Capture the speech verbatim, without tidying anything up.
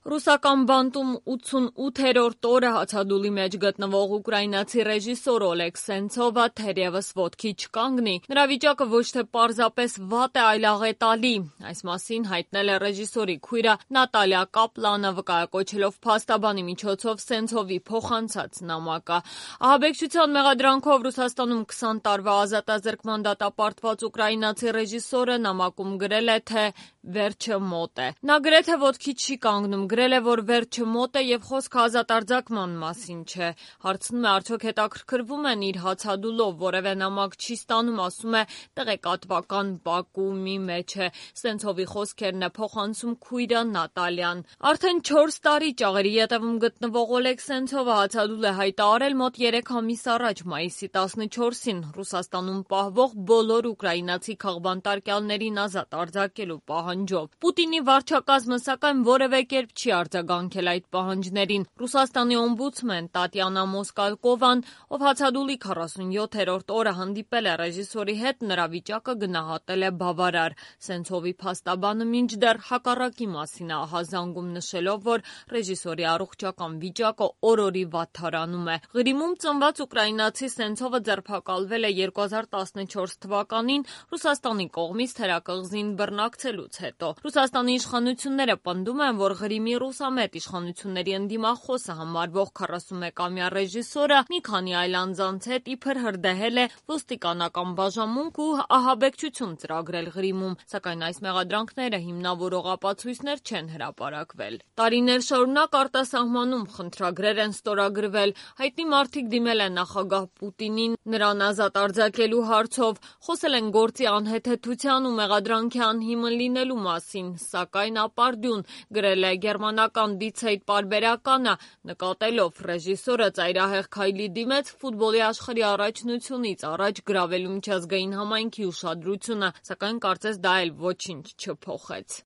Ռուսական բանտում ութսունութերորդ օրը հացադուլի մեջ գտնվող ուկրաինացի ռեժիսոր Օլեգ Սենցովը թերևս ոտքի չկանգնի։ Նրա վիճակը ոչ թե պարզապես վատ է, այլ աղետալի։ Այս մասին հայտնել է ռեժիսորի քույրը Նատալիա Կապլանը, վկայակոչելով փաստաբանի միջոցով Սենցովի փոխանցած նամակը։ Ահաբեկչության մեղադրանքով Ռուսաստանում քսան տարվա ազատազրկման դատապարտված ուկրաինացի ռեժիսորը նամակում գրել է, թե վերջը մոտ է։ Նա գրեթե ոտքի չի կանգնում, գրել է, որ վերջը մոտ է եւ խոսքը ազատարձակման մասին չէ։ Հարցնում է, արդյոք հետաքրքրվում են իր հացադուլով, որևէ նամակ չի ստանում, ասում է, տեղեկատվական բակումի մեջ է։ Սենցովի խոսքերն է փոխանցում քույրը Նատալիան։ Արդեն չորս տարի ճաղերի ետևում գտնվող Օլեգ Սենցովը հացադուլ է հայտարարել մոտ երեք ամիս առաջ, մայիսի տասնչորսին, Ռուսաստանում պահվող բոլոր ուկրաինացի քաղբանտարկյալներին ազատ արձակելու պահանջով։ Պուտինի վարչակազմը, սակայն, որևէ կերպ չի արձագանքել այդ պահանջներին։ Ռուսաստանի օմբուդսմեն Տատյանա Մոսկալկովան, ով հացադուլի քառասունյոթերորդ օրը հանդիպել է ռեժիսորի հետ, նրա վիճակը գնահատել է բավարար։ Սենցովի փաստաբանը մինչդեռ հակառակի մասին է ահազանգում, նշելով, որ ռեժիսորի առողջական վիճակը օր-օրի վատթարանում է։ Ղրիմում ծնված ուկրաինացի Սենցովը ձերբակալվել է երկու հազար տասնչորս թվականին Ռուսաստանի կողմից թերակղզին բռնակցելուց հետո։ Ռուսաստանի իշխանությունները պնդում են, որ Ղրիմի ռուսամետ իշխանությունների ընդդիմախոսը համարվող քառասունմեկամյա ռեժիսորը մի քանի այլ անձանց հետ իբր հրդեհել է ոստիկանական բաժանմունք ու ահաբեկչություն ծրագրել Ղրիմում, սակայն այս մեղադրանքները հիմնավորող ապացույցներ չեն հրապարակվել։ Տարիներ շարունակ արտասահմանում խնդրագրեր են ստորագրվել, հայտնի մարդիկ դիմել են նախագահ Պուտինին նրան ազատ արձակելու հարցով, խոսել են գործի անհեթեթության ու մեղադրանքի անհիմն լինելու մասին, սակայն ապարդյուն, գրել է գերմանական Die Zeit պարբերականը, նկատելով ռեժիսորը ծայրահեղ քայլի դիմեց ֆուտբոլի աշխարհի առաջնությունից առաջ գրավելու միջազգային համայնքի ուշադրությունը, սակայն կարծես դա էլ ոչինչ չփոխեց։